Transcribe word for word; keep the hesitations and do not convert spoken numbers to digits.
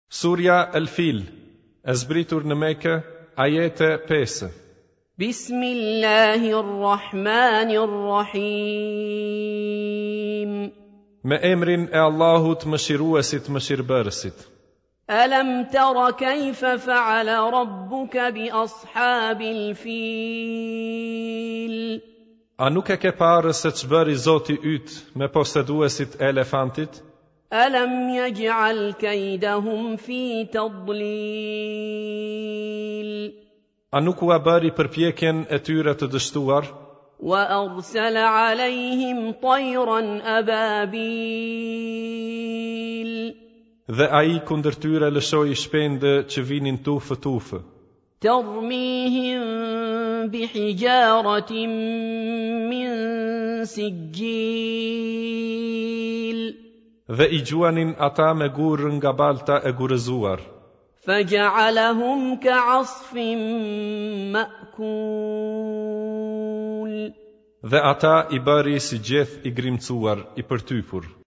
Surja El Fil, e zbritur në Mekë, ajete pesë. بسم الله الرحمن الرحيم Me emrin e Allahut mëshiruesit mëshirbërësit. ألم تر كيف فعل ربك بأصحاب الفيل A nuk e ke parë se ç'bëri Zoti yt me poseduesit e elefantit? ألم يجعل كيدهم في تضليل A nuk ua bëri përpjekjen e tyre të dështuar? وأرسل عليهم طيرا أبابيل Dhe ai kundër tyre lëshoi shpendë që vinin tufë tufë, ترميهم بحجارة من سجيل dhe i gjuanin ata me gurë nga balta e gurëzuar. فجعلهم كعصف مأكول Dhe ata i bëri si gjeth i grimcuar, i përtypur.